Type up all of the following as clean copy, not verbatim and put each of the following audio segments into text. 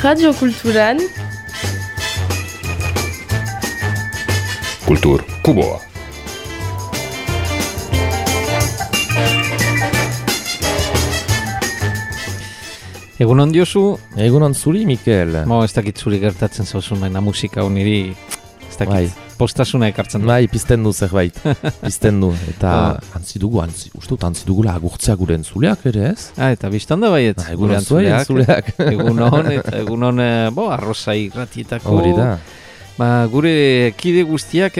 Radio Kulturan Kultur Kuboa. Egunon diozu? Egunon zuri, Mikel. Ez dakit zuri gertatzen zauzun baina musika honiri, ez dakit, postasuna ekartzen du. Bai, pizten du zerbait, pizten du. Eta antzi dugula agurtzea gure entzuleak ere, ez? Eta biztan da baiet, gure entzuleak. Egunon, arroza irratietako. Hori da. Gure kide guztiak,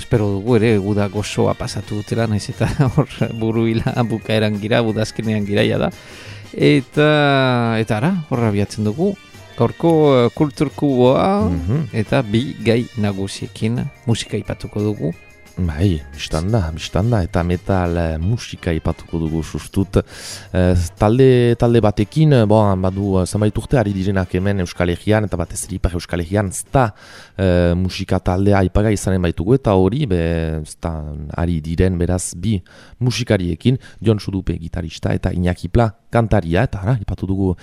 espero dugu ere, guda gozoa pasatu dutela, naiz eta hor buruila bukaeran gira, budazkenean giraia da. Eta ara, horra biatzen dugu, gaurko kulturkuboa eta bi gai nagusiekin musika ipatuko dugu. Bai, bistanda, eta metal musika ipatuko dugu sustut. Talde batekin, badu zenbait urte ari direnak hemen Euskal Herrian, eta batez ere Ipar Euskal Herrian, zta musika taldea aipaga izanen baitugu, eta hori, zta ari diren beraz bi musikariekin, Jon Sudupe gitarista eta Iñaki Pla kantaria, eta ara, aipatu dugu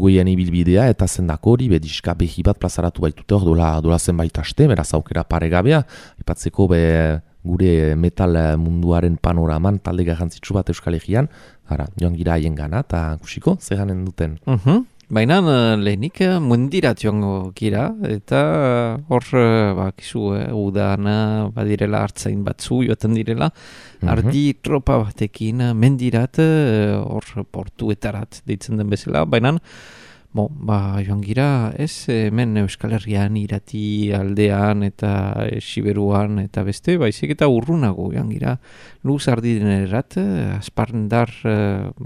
hien ibilbidea, eta zendako hori, diska behi bat plazaratu baitute hor dola zenbait aste, beraz aukera paregabea, aipatzeko gure metal munduaren panoraman talde garrantzitsu bat Euskal Herrian, ara, joan gira haien gana, eta kusiko, zeganen duten. Baina lehenik mundirat joango gira, eta hor, kizu, udana badirela hartzain batzu joaten direla, ardi tropa batekin mendirat, hor portuetarat deitzen den bezala, baina joan gira, ez hemen Euskal Herrian, irati aldean eta Siberuan eta beste, baizik eta urrunago joan gira. Luz ardidenerat, asparndar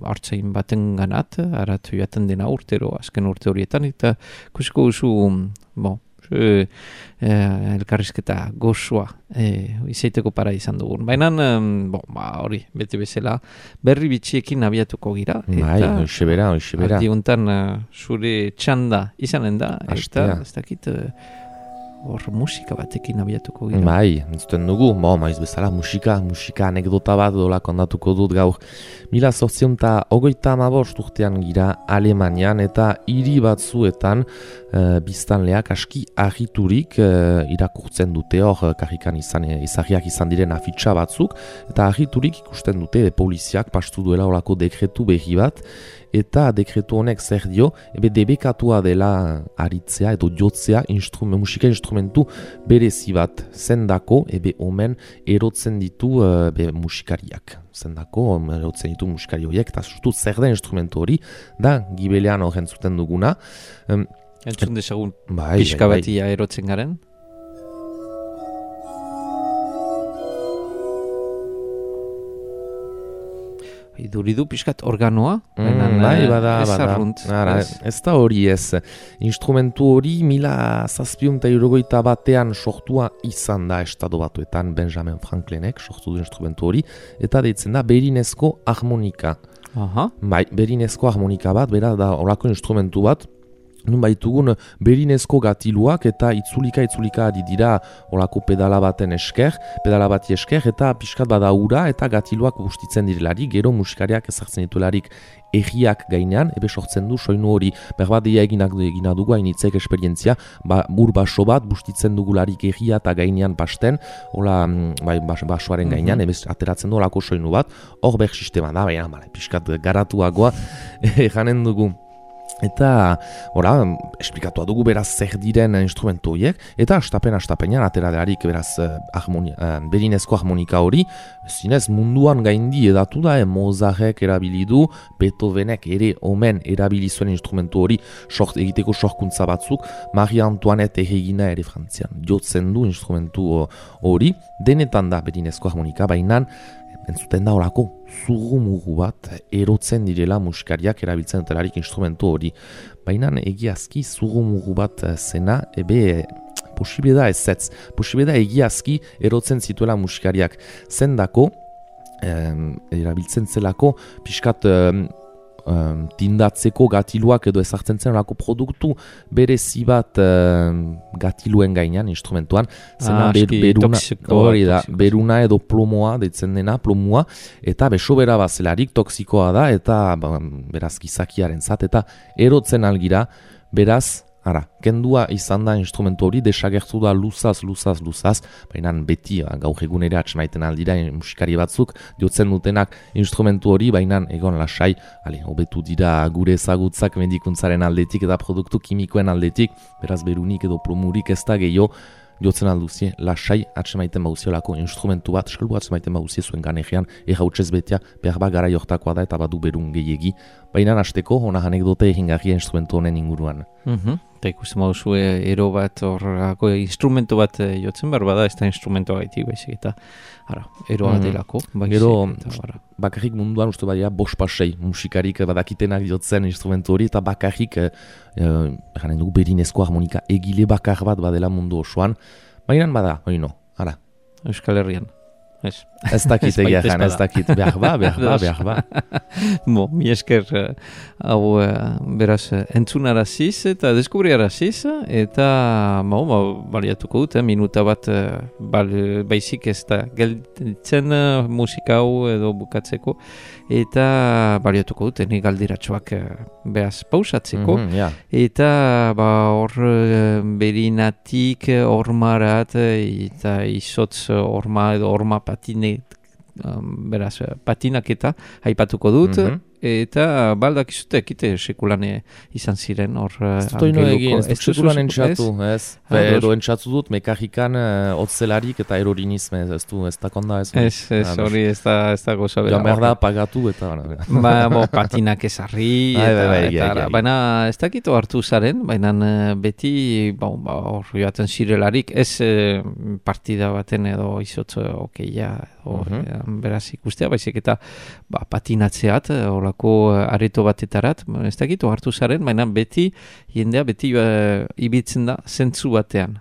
hartzain baten ganat, arat joaten dena urtero, azken urte horietan, eta kusiko duzu, elkarrizketa gozoa izaiteko para izan dugun. Baina, hori, beti bezala, berri bitxiekin abiatuko gira. Hoxe bera. Ardiuntan zure txanda izanen da, eta ez dakit hor musika batekin abiatuko gira. Bai, entzuten dugu, maiz bezala musika anekdota bat dola kondatuko dut gaur. 1825 urtean gira Alemanian eta hiri batzuetan biztanleak aski argiturik irakurtzen dute hor karrikan izahiak izan diren afitxa batzuk, eta argiturik ikusten dute poliziak pastu duela horako dekretu behi bat, eta dekretu honek zer dio, debekatua dela aritzea edo jotzea musika instrumentu berezi bat zendako, omen erotzen ditu musikariak. Zendako, erotzen ditu musikari horiek, eta sustu zer den instrumentu hori, da gibelean horren zuten duguna. Entzun dezagun pixka batia erotzen garen? Iduridu pixkat organoa? Bada. Ez da hori ez. Instrumentu hori 1761 sortua izan da estado batuetan Benjamin Franklinek sortu du instrumentu hori, eta deitzen da berinezko harmonika. Berinezko harmonika bat, bera da horako instrumentu bat, nun baitugun berinezko gatiluak eta itzulika ari dira olako pedala bati esker, eta pixkat bada ura eta gatiluak bustitzen direlarik, gero musikariak ezartzen ditularik egiak gainean, sortzen du soinu hori, berbadia egina dugu hainitzek esperientzia, baso bat bustitzen dugularik egia eta gainean basten, basoaren gainean, ateratzen du olako soinu bat, hor sistema da, pixkat garatuagoa janen dugu. Eta, esplikatua dugu beraz zer diren instrumentu horiek, eta astapenean ateraderarik beraz berinezko harmonika hori, zinez munduan gaindi edatu da, Mozartek erabili du, Beethovenek ere omen erabili zuen instrumentu hori egiteko sorkuntza batzuk, Marie Antoinette erregina ere Frantzian jotzen du instrumentu hori, denetan da berinezko harmonika, baina entzuten da horako zurrumugu bat erotzen direla musikariak erabiltzen dutelarik instrumentu hori. Baina egiazki zurrumugu bat zena, posible da ezetz. Posible da egiazki erotzen zituela musikariak. Zendako, erabiltzen zelako, pixkat tindatzeko gatiluak edo ezartzen zen olako produktu berezi bat gatiluen gainean, instrumentuan, zena beruna edo plomoa, deitzen dena, plomua, eta besobera bazelarik toksikoa da, eta beraz gizakiaren zat, eta erotzen algira Beraz, kendua izan da instrumentu hori, desagertu da luzaz, baina beti gaur egun ere atxemaiten aldira musikari batzuk, diotzen dutenak instrumentu hori, baina egon lasai, hobetu dira gure ezagutzak medikuntzaren aldetik eta produktu kimikoen aldetik, beraz berunik edo plomurik ez da gehiago, diotzen alduzie, lasai atxemaiten bauziolako instrumentu bat, salbu atxemaiten bauzie zuen ganegean, errautzez betea, behar gara jortakoa da eta badu berun gehiegi, baina hasteko hona anekdote egingarria instrumentu honen inguruan. Eta ikusten baduzu ero bat horrako instrumentu bat jotzen behar bada, ez da instrumentu gaitik baizik eta eroa delako. Gero bakarrik munduan uste badia 5-6 musikarik badakitenak jotzen instrumentu hori eta bakarrik janen dugu berinezko harmonika egile bakar bat badela mundu osoan, baina bada, Euskal Herrian. Ez dakit egia jan, ez dakit, behar ba. Mi esker hau beraz entzunaraziz eta deskubriaraziz eta baliatuko dut, minuta bat baizik ez da gelditzen musika hau edo bukatzeko eta baliatuko dut, nik galdiratxoak beraz pausatzeko eta hor berinatik ormarat eta izotz orma edo orma beraz, patinaketa aipatuko dut, eta baldak izute ekite sekulane izan ziren hor angeluko. Ez sekulan entxatu, ez? Edo entxatu dut, mekajikan otzelarik eta erorinizme, ez da konda ez? Ez, hori ez da goza bera. Jamar da pagatu eta... Patinak ezarri, baina ez dakito hartu zaren, baina beti hor joaten zirelarik, ez partida baten edo izotz okeia, beraz ikustea, baizik eta patinatzeat, areto batetarat, ez dakit hartu zaren, baina jendea beti ibiltzen da zentzu batean.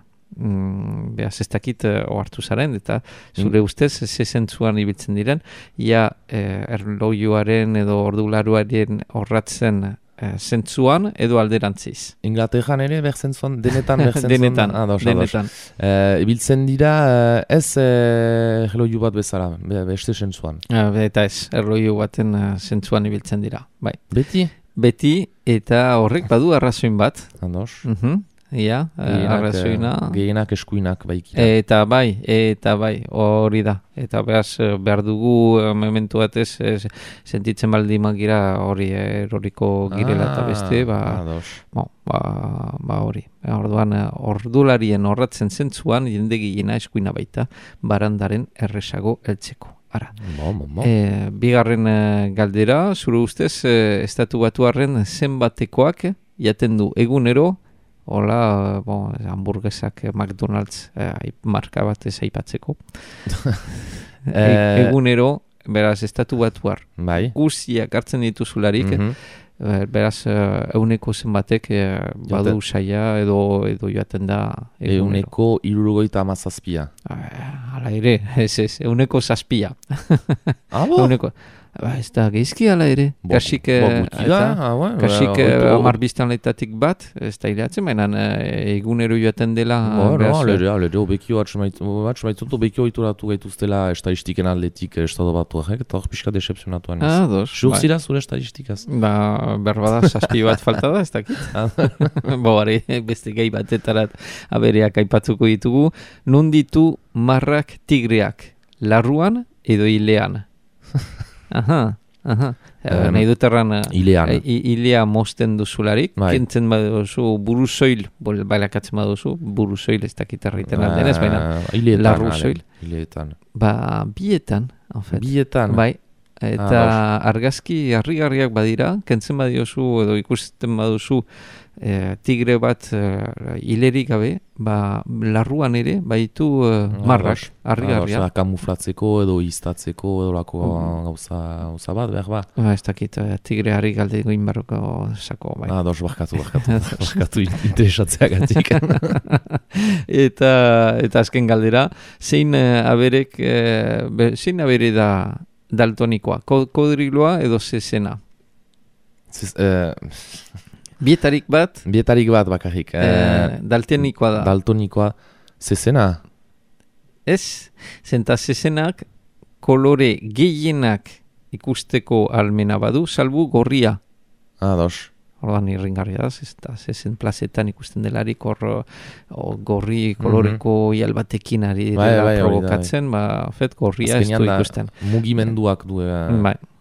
Beaz ez dakit hartu zaren, eta zure ustez ze zentzuan ibiltzen diren, erlojuaren edo ordularuaren horratzen zentzuan edo alderantziz. Inglaterran ere berzentzuan, denetan. Denetan. Ibiltzen dira ez erloju bat bezala, beste zentzuan. Eta ez, erloju baten zentzuan ibiltzen dira. Bai. Beti, eta horrek badu arrazoin bat. Ados. Arrazoina. Gehienak eskuinak baikira. Eta bai, hori da. Eta behar dugu momentu batez sentitzen baldimak gira hori eroriko girela eta beste, hori. Orduan, ordularien horratzen zentzuan, jende gehiena eskuina baita, barandaren erresago heltzeko. Bigarren galdera, zure ustez, Estatu Batuarren zenbatekoak jaten du egunero, hola, hamburguesak McDonald's marka bat ez aipatzeko. Egunero, beraz, Estatu Batuar. Guztiak hartzen dituzularik, beraz, euneko zenbatek badu saia edo joaten da eguneko 77. Hala ere, ez, euneko 7. Ez da geizki ala ere. Kasik biztanletatik bat, ez da iratzen, baina egunero joaten dela. Alere, obekio atxamaitzutu, obekio ituratu gaituztela estadistiken aldetik Estado Batuak, eta hor pixka decepzionatuan ez. Surzira zure estadistikaz? Berbada, 7 bat falta da, ez dakit. Beste gai batetarat abereak aipatzuko ditugu. Non ditu marrak tigreak? Larruan edo hilean? Nahi dut erran hilea mosten duzularik, kentzen baduzu buruzoil, bailakatzen baduzu, buruzoil ez dakit erraiten aldenez, baina larruzoil. Hileetan. Bietan, en fet. Bietan? Bai, eta argazki harrigarriak badira, kentzen badiozu edo ikusten baduzu tigre bat hilerik gabe, larruan ere baitu marrak, harrigarria. Kamuflatzeko edo iztatzeko edo lako gauza bat, behar ba? Ez dakit, tigre harri galde goin barroko sako. Barkatu interesatzeagatik. Eta azken galdera, zein abere da daltonikoa, kodriloa edo zezena? Bietarik bat bakarrik. Daltonikoa da. Daltonikoa zezena? Ez, zenta zezenak kolore gehienak ikusteko almena badu, salbu gorria. Ados. ordan irringarri da, zezen plazetan ikusten delarik hor gorri koloreko ial batekin ari dela provokatzen, fet gorria ez du ikusten. Mugimenduak du,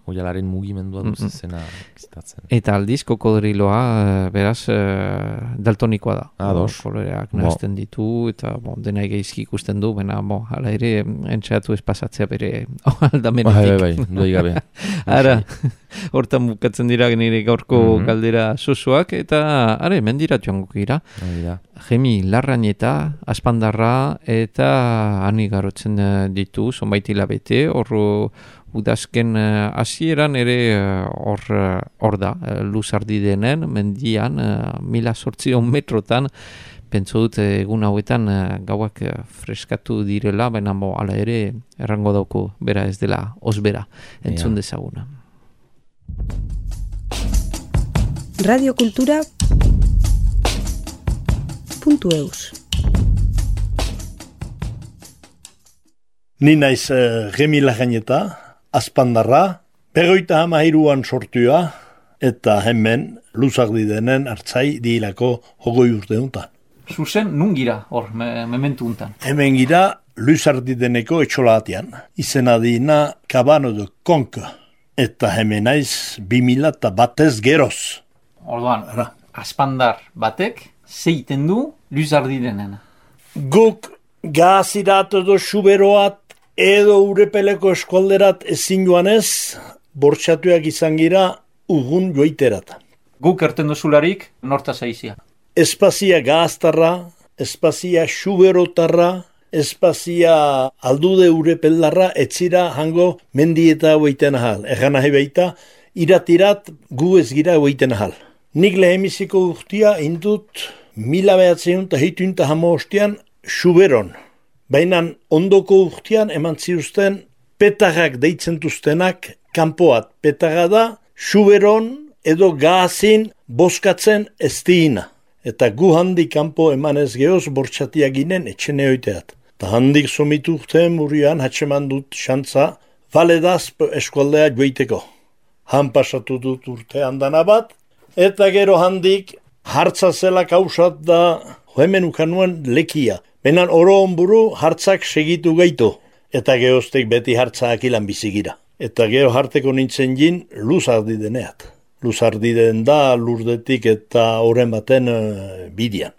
oialaren mugimendua du zezena bizitatzen. Eta aldiz, kokodriloa, beraz, daltonikoa da. Koloreak nahazten ditu, eta dena geizki ikusten du, baina, hala ere, entxeatu ez pasatzea bere aldamenetik. Doi gabe. Ara, hortan bukatzen dira nire gaurko galdera sosuak, eta, mendira joango gira. Gemi Larrañeta, Aspandarra, eta han igarotzen ditu, zonbait hilabete, hor udazken hasieran ere hor da, Luzardi denen, mendian, 1800 metrotan, pentso dut egun hauetan gauak freskatu direla, baina ala ere errango dauko bera ez dela osbera, entzun dezaguna. Radiokultura.eus Ni naiz Gemi Larrañeta, Aspandarra, 53an sortua, eta hemen Luzardi denen hartzai diilako 20 urte untan. Zuzen, nun gira hor, mementu untan? Hemen gira Luzardi deneko etxolatian. Izena dina Cabano de Conca. Eta hemen naiz 2001 geroz. Orduan, Aspandar batek, zeiten du Luzardi denen? Guk gazirat edo xuberoat edo urepeleko eskualderat ezin joanez, bortxatuak izan gira ugun joiterat. Guk erten duzularik, norta zaizia? Espazia gaztarra, espazia xuberotarra, espazia aldude urepeldarra, etzira hango mendieta hoeiten ahal. Egan nahi baita, iratirat gu ez gira hoeiten ahal. Nik lehemiziko urtia indut 1908 xuberon. Baina ondoko urtean eman ziuzten petagak deitzen duztenak kanpoat. Petaga da, xuberon edo gazin boskatzen ez diina. Eta gu handik kanpo eman ez gehoz bortxatiak ginen etxene oiteat. Ta handik somitu urtean murian hatxeman dut xantza valedazp eskualdea joiteko. Han pasatu dut urtean dana bat, eta gero handik hartza zela kausat da hemen ukanuen lekia. Benan oro onburu hartzak segitu gaitu, eta gehoztek beti hartzak ilan bizigira. Eta geho harteko nintzen jin Luzardi deneat. Luzardi den da Lurdetik eta oren baten bidian.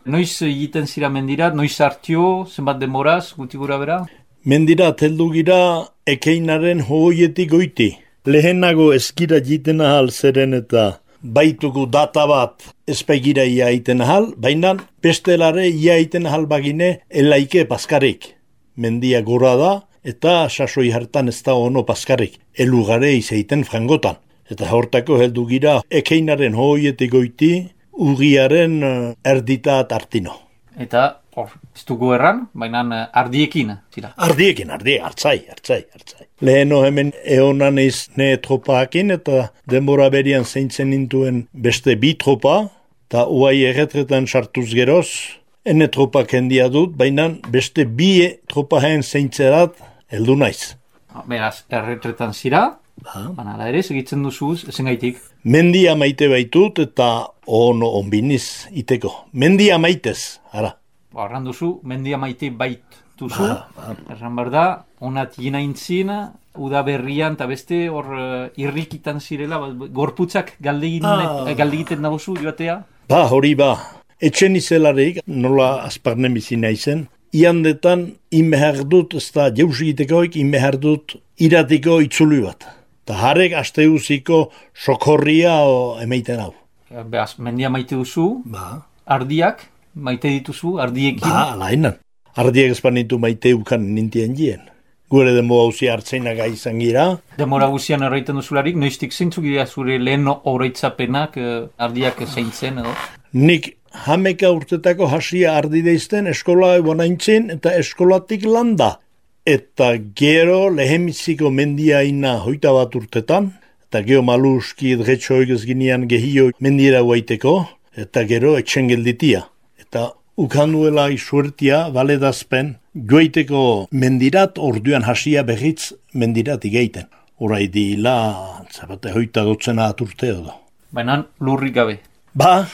Noiz egiten zira mendirat, noiz hartio, zenbat demoraz, guti gura bera? Mendirat heldu gira ekeinaren hoietik goiti. Lehenago ezkira jiten ahal zeren eta baituko data bat ezpaigira ia iten ahal, baina bestelare ia iten ahal bagine elaike paskarik. Mendia gora da eta sasoi hartan ez da ono paskarik. Elugare izaiten frangotan. Eta hortako heldu gira ekeinaren hoietik goiti, ugiaren erditat artino. Eta ez dugu erran, baina ardiekin, zira? Ardiekin, hartzai. Leheno hemen eonan ez ne tropaakin eta denbora berian zeintzen nintuen beste bi tropa, eta uai erretretan sartuz geroz, ene tropak hendia dut, baina beste bi tropahen zeintzerat heldu naiz. Beraz, erretretan zira, baina ere segitzen duzuz, ezen gaitik? Mendia maite baitut eta ono onbiniz iteko. Mendia maitez, ara. Arran duzu, mendia maite bait duzu. Erran behar da, onat ginaintzin, uda berrian eta beste hor irrikitan zirela, gorputzak galdegiten nagozu joatea? Hori ba. Etxen izelarik, nola azparnen bizina izen, iandetan inbehar dut, ez da jeusegitekoik inbehar dut iratiko itzuli bat. Eta harek asteuziko sokorria emeiten hau. Beaz, mendia maite duzu, ardiak maite dituzu, ardiekin? Alainan. Ardiak espanitu maite ukan nintien jien. Gure demora guzia hartzeinaga izan gira. Demora guzian erraiten duzularik, noiztik zeintzuk dira zure lehen horreitzapenak ardiak zeintzen edo? Nik hameka urtetako hasia ardi deizten eskola ebanaintzen eta eskolatik landa. Eta gero lehemiziko mendiaina hoita bat urtetan, eta gero maluski edgetxoik ez ginean gehio mendiera guaiteko, eta gero etxen gelditia. Eta ukanduela isuertia, baledazpen, joiteko mendirat orduan hasia behitz mendirat igeiten. Horai dila, zabate hoita dotzena aturte edo. Baina lurrik gabe. Ba,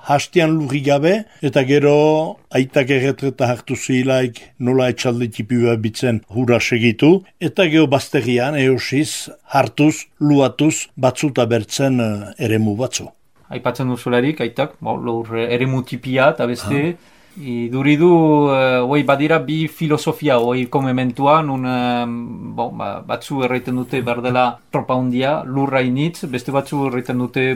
hastian lurrik gabe, eta gero aitak erretreta hartu zilaik nola etxalde tipua bitzen hura segitu, eta gero bazterian eosiz hartuz, luatuz, batzuta bertzen eremu batzu. Aipatzen duzularik, aitak, lur eremu tipia eta beste, duridu, badira bi filosofia, komementua, batzu erraiten dute berdela tropa hundia, lurra initz, beste batzu erraiten dute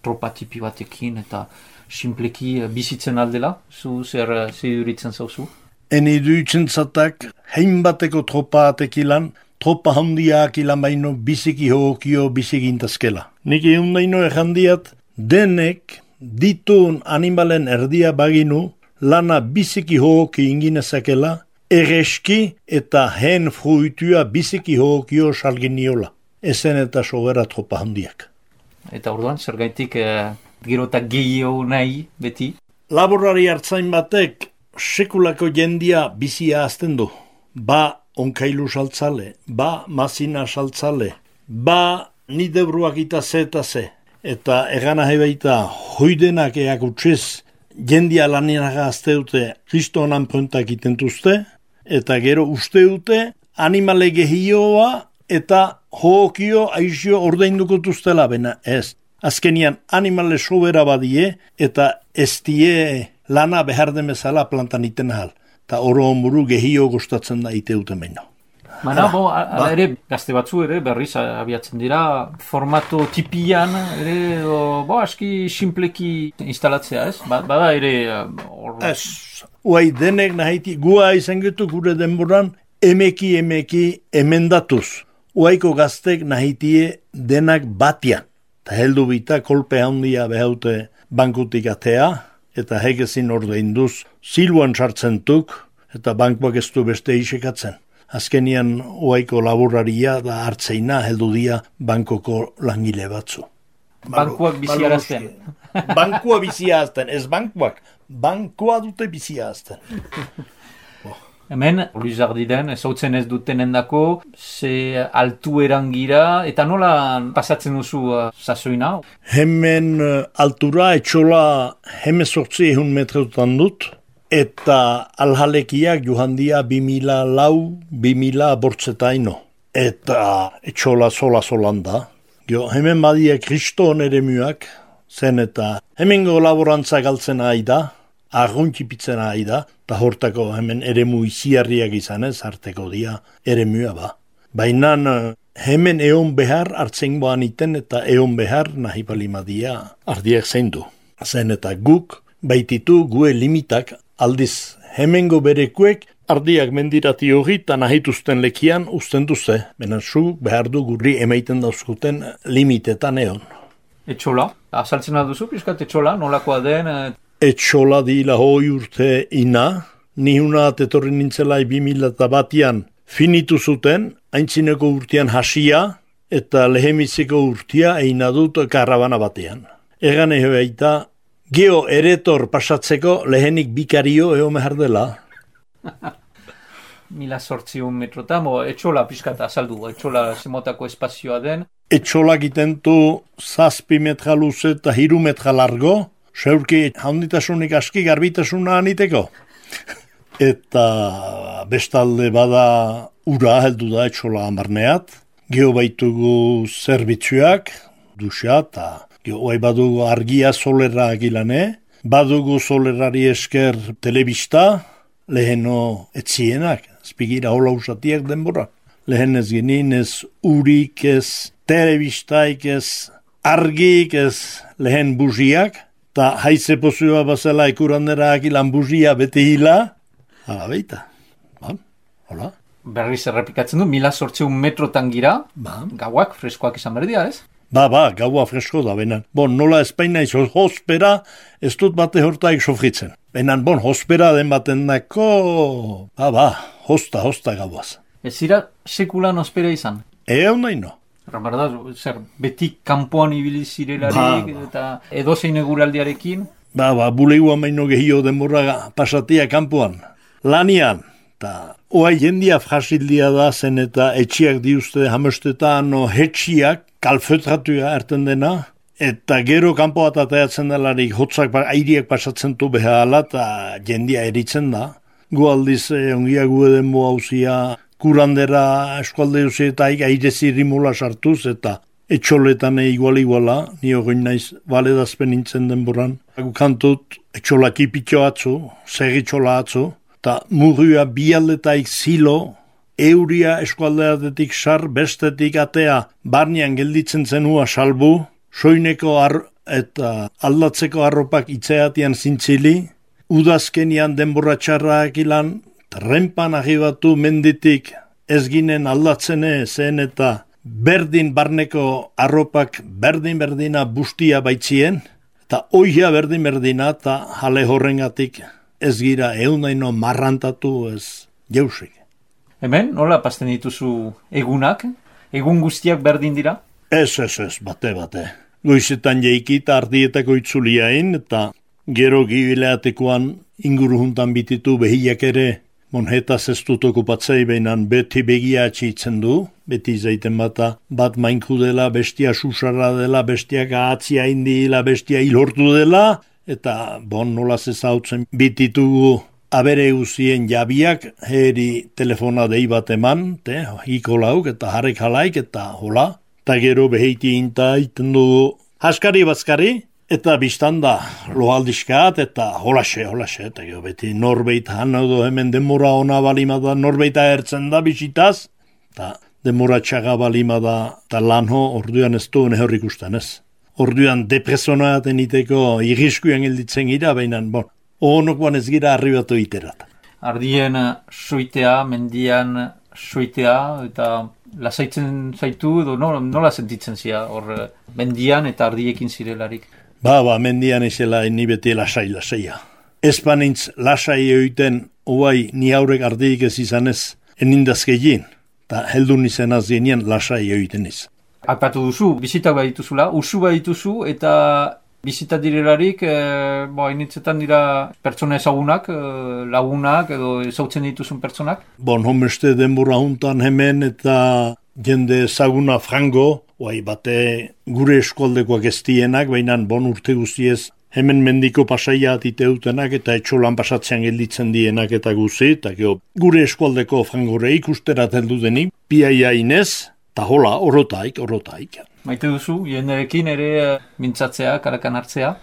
tropa tipi batekin eta simpleki bizitzen aldela, zu zer duritzen zauzu? Eni duitzen zatak, hein bateko tropa atekilan, tropa handiak ilan baino biziki hookio biziki intazkela. Nik egun daino errandiat, denek ditun animalen erdia baginu, lana biziki hooki inginezakela, erreski eta hen fruitua biziki hookio salgin niola. Ezen eta sobera tropa handiak. Eta orduan, zer gaitik gero eta gehiago nahi beti? Laborari hartzain batek sekulako jendia bizia azten du. Ba onkailu saltzale, ba mazina saltzale, ba nidebruak eta ze. Eta egana hebeita hoidenak eak utziz jendia laninaga azte dute kristonan prontak itentuzte, eta gero uste dute animale gehioa eta hookio aizio ordaindukotuztela, bena ez. Azkenian animale sobera badie eta ez die lana behar demezala plantan iten ahal. Ta oro onburu gehio gustatzen da ite duten baino. Baina, ere, gazte batzu ere, berriz abiatzen dira, formato tipian, ere, aski simpleki instalatzea, ez? Bada ere... Ez, uai denek nahiti, gua izan getu gure denboran, emeki emendatuz. Uaiko gaztek nahitie denak batian. Ta heldu bita kolpe handia behaute bankutik atea, eta hegezin ordeinduz, siluan sartzentuk, eta bankuak ez du beste isekatzen. Azkenian uaiko laboraria da hartzeina heldu dia bankoko langile batzu. Bankuak biziarazten. Bankua biziarazten, ez bankuak. Bankua dute biziarazten. Hemen, Luzardiden, ezautzen ez duten endako, ze altu erangira, eta nola pasatzen duzu sasoina? Hemen altura etxola hemezortzi 100 metrotan dut, eta alhalekiak johandia 2000 bortzetaino. Eta etxola solan da. Hemen badia kriston eremuak, zen eta hemengo laborantza galtzen ari da, argontxipitzen ari da, eta hortako hemen eremu iziarriak izanez, harteko dia eremua ba. Baina hemen eon behar hartzen boan iten eta eon behar nahi palimadia ardiak zein du. Zen eta guk baititu gue limitak aldiz hemengo berekuek ardiak mendirati hori eta nahituzten lekian usten duze. Benen zu behar du gurri emaiten dauzkuten limitetan eon. Etxola? Azaltzen duzu, pizkat etxola, nolakoa den? Etxola dila hoi urte ina, nihuna etorri nintzelai 2001an finitu zuten, aintzineko urtean hasia eta lehemiziko urtea eina dut karabana batean. Egan baita, geo eretor pasatzeko lehenik bikario eo mehar dela. 1800 metrotan, etxola pizkat azaldu, etxola zemotako espazioa den. Etxola gitentu 7 metra luze eta 3 metra largo, zeurki handitasunik aski garbitasuna aniteko. Eta bestalde bada ura heldu da etxola amarneat, geho baitugu zerbitzuak, duxa eta geho badugu argia solera agilane, badugu solerari esker telebista, leheno etzienak, spigira hola usatiak denbora. Lehen ez genin ez urik ez telebistaik ez argik ez lehen buziak, eta haize pozua bazela ikurandera akilan buzia bete hila, hala beita. Hola. Berriz errepikatzen du, 1800 metrotan gira, gauak freskoak izan berdia, ez? Gaua fresko da, benan. Nola Espaina izo hospera, ez dut bate hortaik sofritzen. Benan, hospera den baten dako, hosta gauaz. Ez zira sekulan hospera izan? Egon nahi no. Berda, zer, beti kanpoan ibili zirelarik eta edozein eguraldiarekin? Buleguan baino gehio denborra pasatia kanpoan. Lanian, eta oai jendia frasildia da zen eta etxiak diuzte hamestetan hetxiak kalfetratua erten dena, Eta gero kanpo bat ateatzen delarik hotzak airiak pasatzen du behala eta jendia eritzen da. Gu aldiz ongia gu edenbo hauzia kurandera eskualde duzietaik aire zirimula sartuz eta etxoletan iguala, nio goin naiz baledazpen nintzen denboran. Gu kantut etxolaki pitxo atzu, segitxola atzu, eta murria bialdetaik zilo, euria eskualdeatetik sar, bestetik atea, barnean gelditzen zenua salbu, soineko eta aldatzeko arropak itzeatian zintzili, udazkenian denbora txarrak ilan, renpan agibatu menditik ez ginen aldatzene zen eta berdin barneko arropak berdina bustia baitzien, eta oia berdina eta jale horrengatik ez gira eunaino marrantatu ez jeusik. Hemen, nola pasten dituzu egunak? Egun guztiak berdin dira? Ez, bate. Goizetan jeikita ardietako itzuliain, eta gero gibileatekoan inguru juntan bititu behiak ere, monhetaz ez dut okupatzei behinan beti begia atxitzen du, beti zaiten bat mainku dela, bestia susarra dela, bestia gahatzia indila, bestia hilortu dela, eta nolaz ezautzen bititugu abere guzien jabiak, heri telefona dei bat eman, ikolauk eta jarek jalaik eta hola, eta gero beheiti inta iten dugu haskari-bazkari, eta biztan da loaldizkat eta holaxe, eta gero beti norbeit hanaudo hemen demora ona balimada, norbeita ertzen da bisitaz, eta demora txaga balimada, eta lanho orduan ez du nehorrik usten ez. Orduan depresonaten iteko irriskuan gelditzen gira, baina, onokoan ez gira arribatu iterat. Ardien soitea, mendian soitea, eta lasaitzen zaitu, edo nola sentitzen zia, hor mendian eta ardiekin zirelarik? Mendian izela ni beti lasaia. Espanintz lasai egoiten, oai ni haurek ardiik ez izanez, enindazkegin, eta heldun izan azienean lasai egoiten iz. Aipatu duzu, bizitak badituzula, usu badituzu, eta bizita direlarik, hainitzetan dira pertsona ezagunak, lagunak, edo ezautzen dituzun pertsonak? Homeste denbora juntan hemen eta jende ezaguna frango, bate gure eskualdekoak ez dienak, baina urte guztiez hemen mendiko pasaia atiteutenak eta etxolan pasatzean gelditzen dienak eta guzi, eta gure eskualdeko frangore ikusterat heldu denik, piaia inez, eta hola, orotaik. Maite duzu, jenderekin ere mintzatzea, karakan hartzea?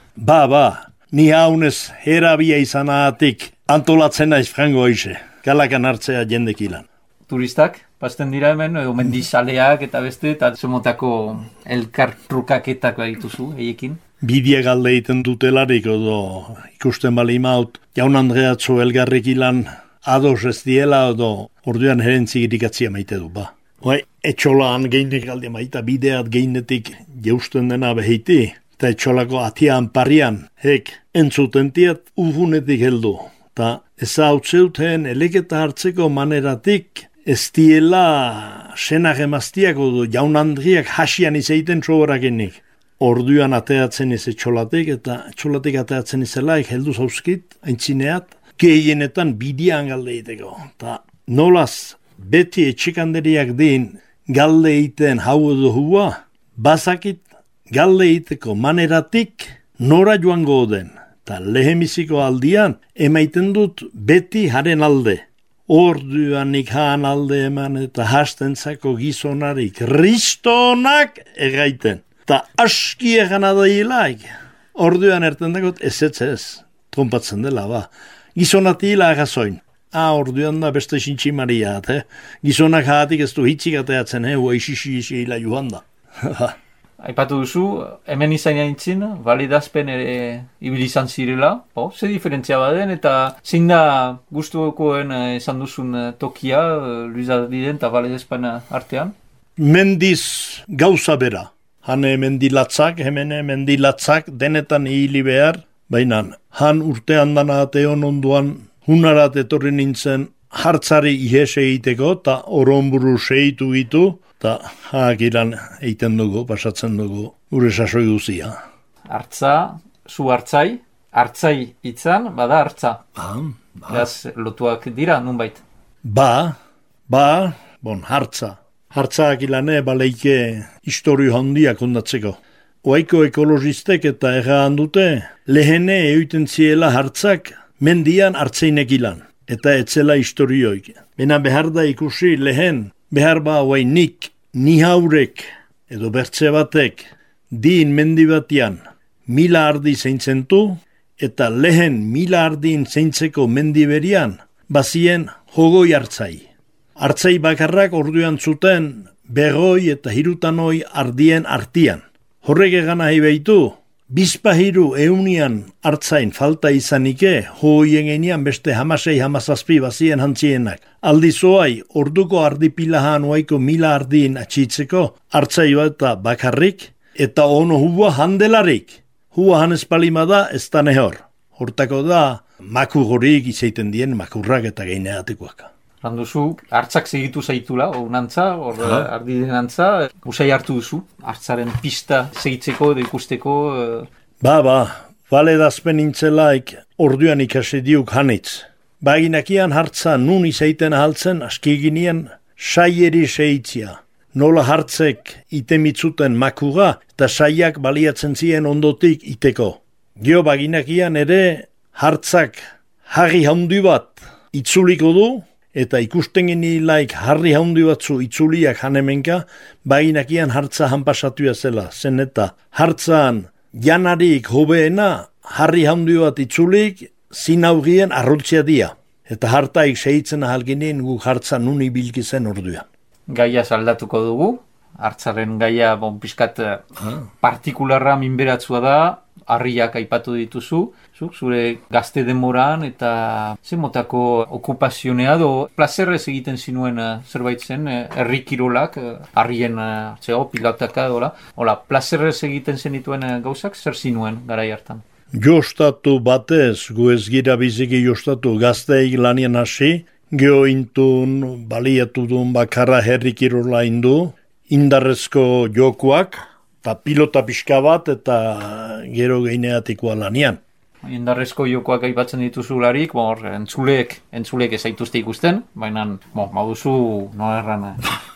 Ni haunez herabia izanatik antolatzen naiz frango hoize, kalakan hartzea jendekilan. Turistak, pasten dira hemen, edo mendizaleak eta beste, eta zemotako elkartrukaketak dituzu, eiekin? Bidea galde egiten dutelarik, edo ikusten bali maut, jaun Andreatzo elgarrekilan ados ez diela, edo orduan herentzigirik atzia maite du, etxolaan geinek galde maita bideat geinetik jeusten dena behiti, eta etxolako atian parian, entzutentiat ufunetik heldu. Ta ez hau zeuten eleketa hartzeko maneratik, ez diela senak emaztiak odo jaun Andriak hasian izaiten txoborakenik. Orduan ateatzen ez etxolatik, eta etxolatik ateatzen izelaik heldu zauzkit, aintzineat, gehienetan bidean galde egiteko. Ta nolaz, beti etxekanderiak din galde egiten hau edo hua, bazakit galde egiteko maneratik nora joango den. Ta lehemiziko aldian, emaiten dut beti haren alde. Orduan nik haan alde eman eta hastentzako gizonari kristonak egaiten. Ta aski egan adailaik. Orduan erten dagot ez, trompatzen dela, Gizonati hila agazoin. Orduan da beste sintximaria, Gizonak haatik ez du hitzik ateatzen, hua isisi hila joan da. Aipatu duzu, hemen izan jaintzin, validazpen ere ibilizan zirela, ze diferentzia baden, eta zein da gustukoen esan duzun tokia, Luis Ardiden eta validazpen artean? Mendiz gauza bera. Hane mendilatzak, hemene mendilatzak, denetan hili behar, baina han urte handana ateon onduan, hunarat etorri nintzen hartzari ihese egiteko, eta oronburu seitu gitu, eta hakilan eiten dugu, pasatzen dugu, gure sasoi guzia. Hartza, zu hartzai itzan, bada hartza. Gaz lotuak dira, nunbait? Hartza. Hartza akilane baleike historio handiak ondatzeko. oaiko ekologistek eta erran dute, lehene euten ziela hartzak mendian hartzeinek ilan, eta etzela historioik. Bena behar da ikusi lehen, behar ba nik, ni haurek, edo bertze batek, din mendi batian, 1000 ardi zeintzen eta lehen 1000 ardin zeintzeko mendi berian, bazien jogoi hartzai. Hartzai bakarrak orduan zuten, berroi eta hirutanoi ardien artian. Horrek egan nahi behitu, bizpahiru eunian hartzain falta izanike, hoien enian beste 16-17 bazien hantzienak. Aldizoai, orduko ardipilahan oaiko 1000 ardin atxitzeko, hartzai bat bakarrik, eta ono hua handelarik. Hua hanespalima da, ez da nehor. Hortako da, makurrorik izaiten dien makurrak eta geineatikoak. Randuzu, hartzak segitu zaitula, unantza, ardiden antza, usai hartu duzu, hartzaren pista segitzeko edo ikusteko. Bale dazpen intzelaik orduan ikasi diuk hanitz. Baginakian hartza nun izaiten ahaltzen, askiginien saieri seitzia. Nola hartzek itemitzuten makura eta saiak baliatzen ziren ondotik iteko. Gio baginakian ere hartzak harri haundi bat itzuliko du, eta ikusten genilaik harri haundi batzu itzuliak hanemenka, baginakian hartza hanpasatuia zela. Zen eta hartzan janarik hobeena harri haundi bat itzulik zinaugien arrotzia dia. Eta hartaik sehitzen ahalginen guk hartza nuni bilkizen orduan. Gaia saldatuko dugu, hartzaren gaia pixkat partikularra minberatzua da, harriak aipatu dituzu, zure gazte demoran eta zemotako okupazionea do plazerrez egiten zinuen zerbait zen, herri kirolak, harrien pilotaka dola, plazerrez egiten zenituen gauzak, zer zinuen garai hartan? Jostatu batez, gu ez gira biziki jostatu gazteik lanien hasi, geho intun, baliatu duen bakarra herri kirola indu, indarrezko jokuak, eta pilota pixka bat eta gero geineatikoa lanian. Indarrezko jokoak aipatzen dituzularik, entzulek ez zaituzte ikusten, baina maduzu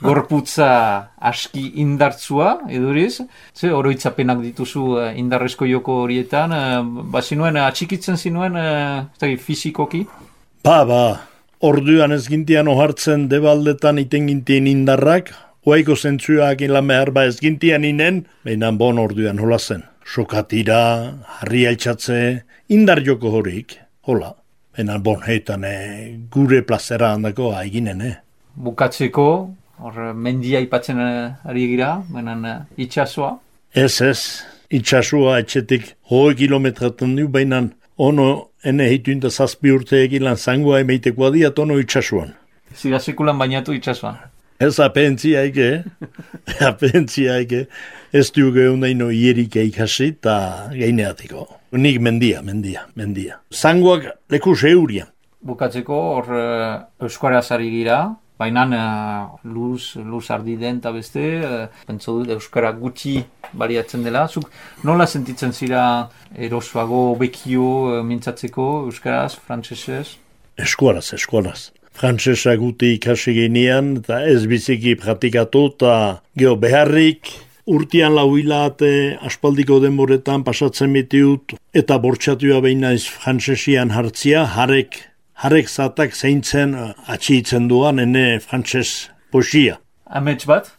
gorputza aski indartzua, eduriz, oroitzapenak dituzu indarrezko joko horietan, bazinuen atxikitzen zinuen fizikoki? Orduan ez gintian ohartzen debaldetan iten gintien indarrak, oaiko zentzuak ilan behar ez gintian inen, baina orduan hola zen. Sokatira, harri altxatze, indar joko horik, hola. Baina heitan gure plazera handako haiginen. Bukatzeko, mendia ipatzen ari gira, baina itxasoa? Ez, itxasoa etxetik 100 kilometraten du, baina ono ene hitun da 7 urte egilan zangoa emeitekoa diat ono itxasuan. Zira sekulan bainatu itxasuan? Ez apentziaike, ez duge undaino ierik eikasi eta geineatiko. Nik mendia. Zangoak leku seurian. Bukatzeko hor euskaraz ari gira, baina luz ardiden eta beste, pentsu dut euskara gutxi baliatzen dela. Zuk nola sentitzen zira erosoago, bekio mintzatzeko euskaraz, frantsesez? Eskualaz. Frantsesa guti ikasi ginean, eta ez biziki praktikatu, eta geho beharrik, urtean lauilate aspaldiko denboretan pasatzen bitiut, eta bortxatua behinaiz frantsesian hartzia, harek zatak zeintzen atxiitzen duan, ene frantses poesia. Amets bat?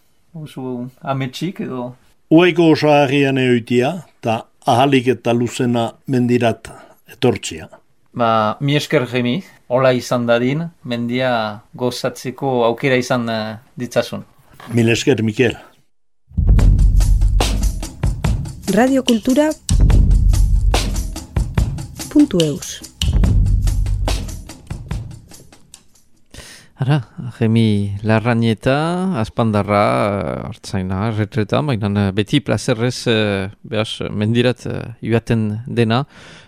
Ametsik edo? Ueko osaharrian eoitia, eta ahalik eta luzena mendirat etortzia. Mi esker Jemi, hola izan dadin, mendia gozatzeko aukera izan ditzazun. Mil esker, Mikel. Radiokultura.eus Ara, Jemi Larrañeta, Aspandarra, hartzaina, retreta, baina beti plazerrez mendirat joaten dena.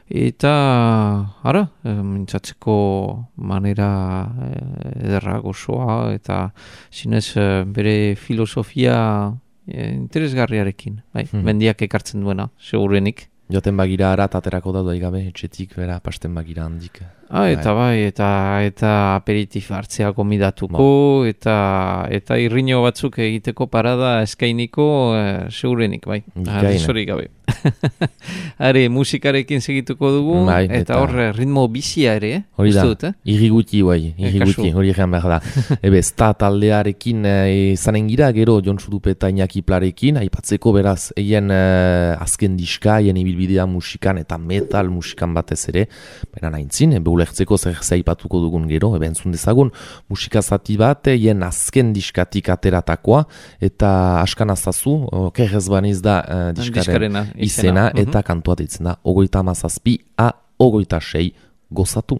Eta, mintzatzeko manera ederra gozoa, eta zinez bere filosofia interesgarriarekin, mendiak ekartzen duena, segurenik. Joten bagira ara, taterako da doigabe, etxetik, bera, pasten bagira handik. Eta eta aperitif hartzea gomidatuko, eta irriño batzuk egiteko parada eskainiko segurenik, bai. Zorik gabe. Are, musikarekin segituko dugu, eta hor ritmo bizia ere, hori da, irriguti, hori egan behar da. Sta taldearekin izanen gira, gero Jon Sudupe eta Iñaki Plarekin, aipatzeko beraz, eien azken diska, eien ibilbidea musikan eta metal musikan batez ere, baina nahintzin, beulertzeko zer aipatuko dugun gero, entzun dezagun, musika zati bat, eien azken diskatik ateratakoa, eta askan azazu, kerrez baniz da diskaren izena, eta kantua ditzen da, 37 a 26 gozatu.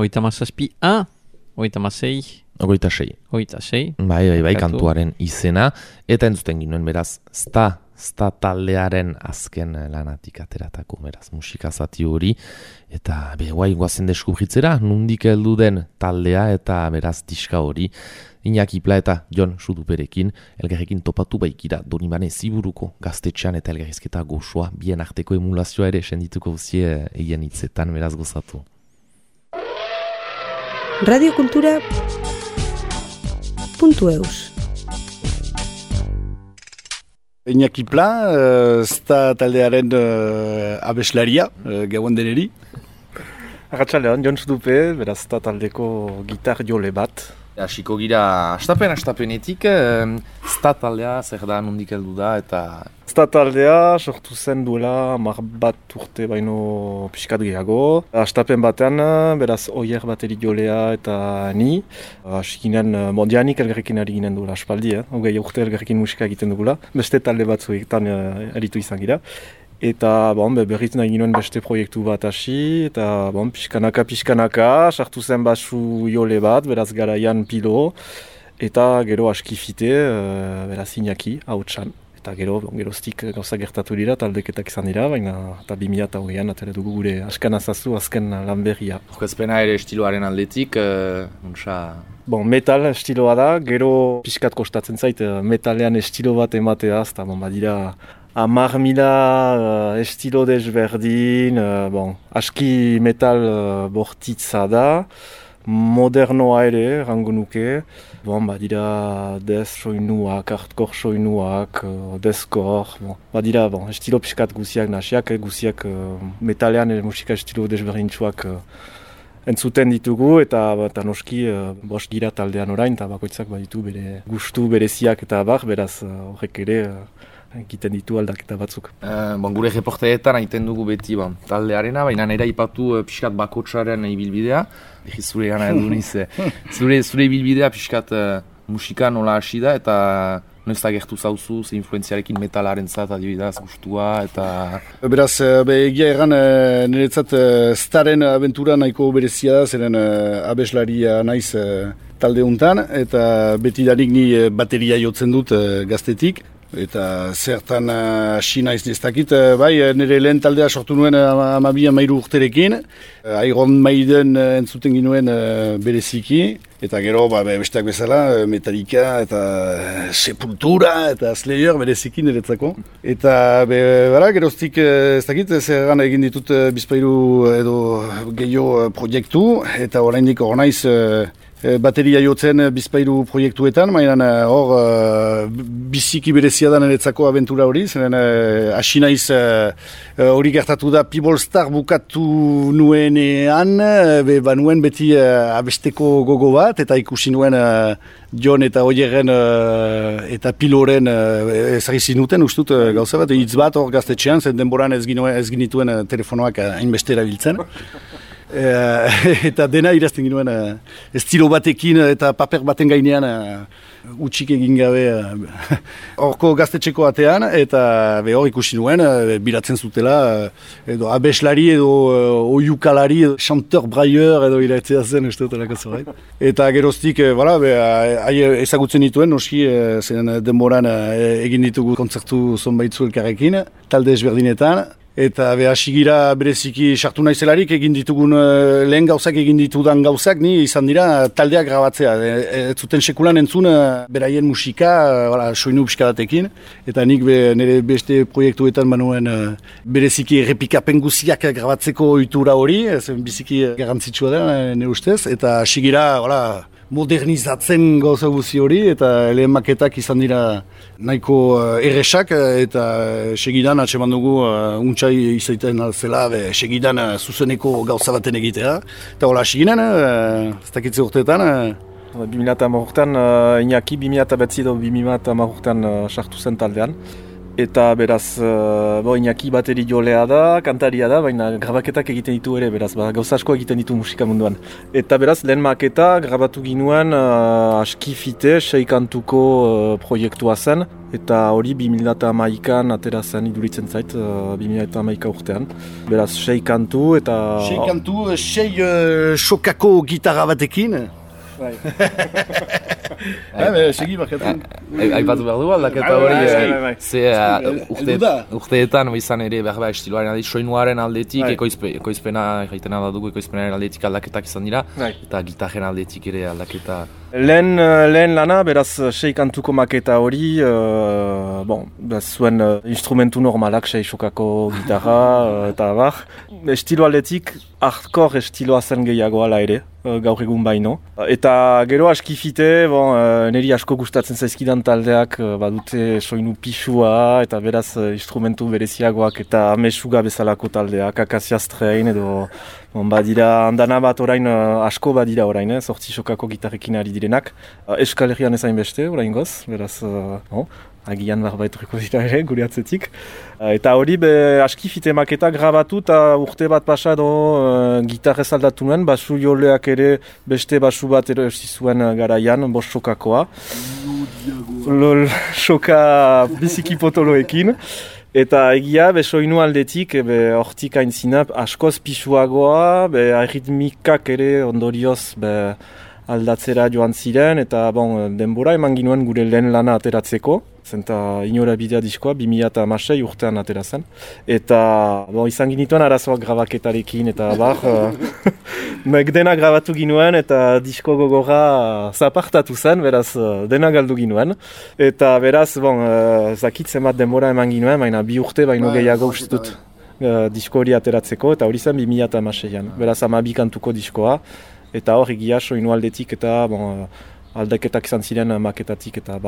Oita mazazpi A, oita mazei. Oita sei. Bai, kantuaren izena. Eta entzuten ginoen, beraz, sta taldearen azken lanatik ateratako, beraz, musika zati hori. Eta, guai, guazen deskubritzera, nundik heldu den taldea eta beraz diska hori. Iñaki Pla eta Jon Suduperekin, elgarrekin topatu baikira Donibane Ziburuko gaztetxean eta elgarrizketa gozoa, bien arteko emulazioa ere sendituko zie egin hitzetan, beraz gozatu. Radiokultura.eus Iñaki Pla, sta taldearen abeslaria, gauan deneri. Arratxalean, Jon Sudupe, beraz sta taldeko gitar jole bat. Hasiko gira astapenetik, sta taldea zer da, nondik heldu da eta... Sta taldea sortu zen duela 10 urte baino pixkat gehiago. Astapen batean, beraz Oier bateri jolea eta ni. Askinean mondianik elgarrekin ari ginen duela aspaldi, hogei urte elgarrekin musika egiten dugula. Beste talde batzuetan aritu izan gira. Eta berriz nahi ginoen beste proiektu bat hasi, eta pixkanaka, sartu zen basu jole bat, beraz garaian pilo, eta gero askifite, beraz Iñaki, hautsan. Eta geroztik gauza gertatu dira, taldeketak izan dira, baina eta 2008an atera dugu gure askan azazu, azken lan berria. Orkezpena ere estiloaren aldetik, metal estiloa da, gero pixkat kostatzen zait metalean estilo bat emateaz, eta badira 10.000 estilo desberdin, aski metal bortitza da, modernoa ere, rango nuke. Badira death soinuak, hardcore soinuak, deathcore, badira estilo pixkat guziak nasiak, guziak metalean musika estilo desberdintsuak entzuten ditugu, eta noski bost gira taldean orain, eta bakoitzak baditu bere gustu bereziak eta beraz horrek ere egiten ditu aldaketa batzuk. Gure reporteetan haiten dugu beti taldearena, baina nera ipatu pixkat bakotsaren ibilbidea. Zure gana edu niz, zure ibilbidea pixkat musika nola hasi da, eta noiz da gertu zauzu, ze influenziarekin metalaren zat adibidaz gustua, eta... Beraz, egia erran niretzat Staren abentura nahiko berezia da, zeren abeslaria naiz talde untan, eta betidanik ni bateria jotzen dut gaztetik. Eta zertan hasi naiz nestakit, nire lehen taldea sortu nuen 12-13 urterekin. Iron Maiden entzuten ginuen bereziki, eta gero besteak bezala Metallica eta Sepultura eta Slayer bereziki niretzako. Eta geroztik ez dakit, zerran egin ditut bizpairu edo gehiago proiektu, eta oraindik hor naiz bateria jotzen bizpairu proiektuetan, baina hor biziki berezia da niretzako abentura hori, zeren hasi naiz hori gertatu da People Star bukatu nuenean, nuen beti abesteko gogo bat, eta ikusi nuen John eta Oierren eta Piloren ezagizi nuten, ustut gauza bat, hitz bat hor gaztetxean, zen denboran ez ginituen telefonoak hainbeste erabiltzen. Eta dena irazten ginuen estilo batekin eta paper baten gainean utxik egin gabe horko gaztetxeko atean, eta hor ikusi nuen bilatzen zutela edo abeslari edo oiukalari, chanteur brailleur edo iratzea zen usteotelako zorait. Eta geroztik ezagutzen dituen, noski zen denboran egin ditugu kontzertu zonbaitzu elkarrekin, talde ezberdinetan. Eta hasigira bereziki sartu naizelarik egin ditugun lehen gauzak egin ditudan gauzak, ni izan dira taldeak grabatzea. Ez zuten sekulan entzun beraien musika, soinu pixkadatekin. Eta nik nire beste proiektuetan manuen bereziki errepikapen guziak grabatzeko ohitura hori, biziki garrantzitsua da nire ustez. Eta hasigira modernizatzen gauza guzi hori, eta lehen maketak izan dira nahiko erresak, eta segidan atseman dugu untsai izaiten zela, segidan zuzeneko gauza baten egitea. Eta hola, seginen, ez dakitze urteetan. 2010 urtean, Iñaki 2009 edo 2010 urtean sartu zen taldean. Eta beraz, Iñaki bateri jolea da, kantaria da, baina grabaketak egiten ditu ere, beraz, gauza asko egiten ditu musika munduan. Eta beraz, lehen maketa grabatu ginuen askifite, 6 kantuko proiektua zen, eta hori 2011an atera zen iduritzen zait, 2011 urtean. Beraz, 6 kantu eta... 6 kantu, 6 sokako gitarra batekin. Segi baketan. Aipatu behar dugu aldaketa hori, urteetan izan ere behar estiloaren aldetik, soinuaren aldetik, ekoizpena egiten dugu, ekoizpenaren aldetik aldaketak izan dira, eta gitarren aldetik ere aldaketa. Lehen lana, beraz, 6 kantuko maketa hori, zuen instrumentu normalak, 6 sokako gitarra, eta bar. Estilo aldetik, hardcore estiloa zen gehiago ala ere, gaur egun baino. Eta gero askifite, niri asko gustatzen zaizkidan taldeak badute soinu pixua, eta beraz instrumentu bereziagoak eta mesuga bezalako taldeak, Akasiastrein edo badira handana bat orain, asko badira orain, sortzi sokako gitarrekin ari direnak. Euskal Herrian ezain beste, orain goz, beraz, agian barbaituriko dira ere, gure atzetik. Eta hori, askifite maketa grabatu eta urte bat pasa edo gitarrez aldatu nuen, basu joleak ere beste basu bat ero zuen garaian, bost sokakoa. Soka biziki potoloekin. Eta egia, soinu aldetik, hortik aintzina askoz pisuagoa, arritmikak ere ondorioz aldatzera joan ziren, eta denbora eman ginuen gure lehen lana ateratzeko. Zenta inora bidea diskoa, 2016 urtean atera zen. Eta izan ginituen arazoak grabaketarekin, eta dena grabatu ginuen, eta disko gogorra zapartatu zen, beraz dena galdu ginuen. Eta beraz, zakitzen bat denbora eman ginuen, baina 2 urte baino gehiago ustut disko hori ateratzeko, eta hori zen 2016an. Beraz 12 kantuko diskoa. eta hor egia soinu aldetik eta aldaketak izan ziren maketatik eta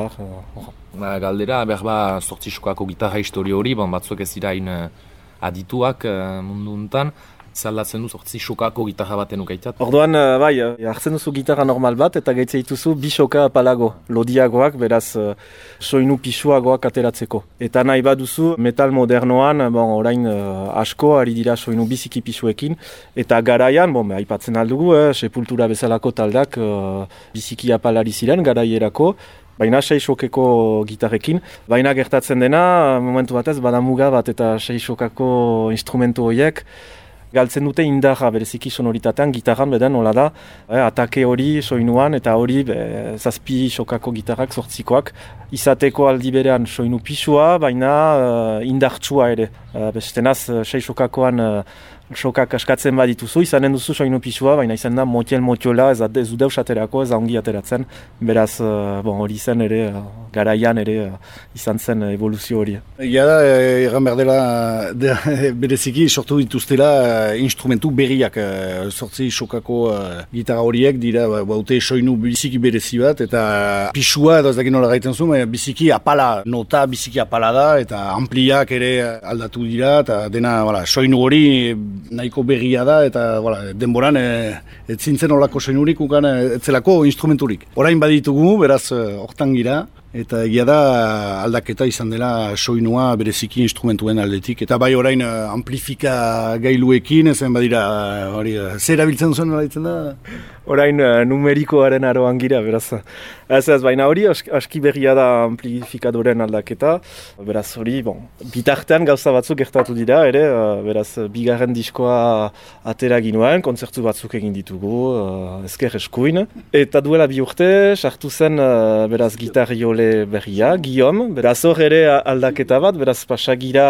Galdera, behar sortzi sokako gitarra historio hori, batzuk ez dira adituak mundu untan, zaldatzen du sortzi sokako gitarra baten ukaitat. Orduan, hartzen duzu gitarra normal bat eta gaitze dituzu bi soka apalago, lodiagoak, beraz soinu pisuagoak ateratzeko. Eta nahi baduzu metal modernoan, orain asko ari dira soinu biziki pisuekin, eta garaian, aipatzen aldugu, Sepultura bezalako taldak biziki apalari ziren garaierako, baina 6 sokeko gitarrekin. Baina gertatzen dena, momentu batez, badamuga bat eta 6 sokako instrumentu horiek, galtzen dute indarra bereziki sonoritatean, gitarran beden nola da, atake hori soinuan eta hori 7 sokako gitarrak sortzikoak, izateko aldi berean soinu pisua, baina indartsua ere. Bestenaz 6 sokakoan sokak askatzen badituzu, izanen duzu soinu pisua, baina izan da motiola, ez du deus aterako, ez da ongi ateratzen, beraz hori zen ere, garaian ere izan zen evoluzio hori. Egia da, erran behar dela, bereziki sortu dituztela instrumentu berriak, sortzi sokako gitarra horiek dira, baute soinu biziki berezi bat, eta pisua, edo ez dakin nola gaiten zu, biziki apala, nota biziki apala da, eta ampliak ere aldatu dira, eta dena soinu hori nahiko berria da, eta denboran ez zintzen olako soinurik, etzelako instrumenturik. Orain baditugu, beraz, hortan gira, eta egia da aldaketa izan dela soinua bereziki instrumentuen aldetik. Eta bai orain amplifika gailuekin, ezen badira, zer erabiltzen zuen ditzen da? Orain numerikoaren aroan gira, beraz. Ez, baina hori aski berria da amplifikadoren aldaketa. Beraz hori, bitartean gauza batzuk gertatu dira, ere, beraz, bigarren diskoa atera ginuen, kontzertu batzuk egin ditugu, ezker eskuin. Eta duela 2 urte, sartu zen, beraz, gitarriole berria, Guillaume. Beraz hor ere aldaketa bat, beraz, pasagira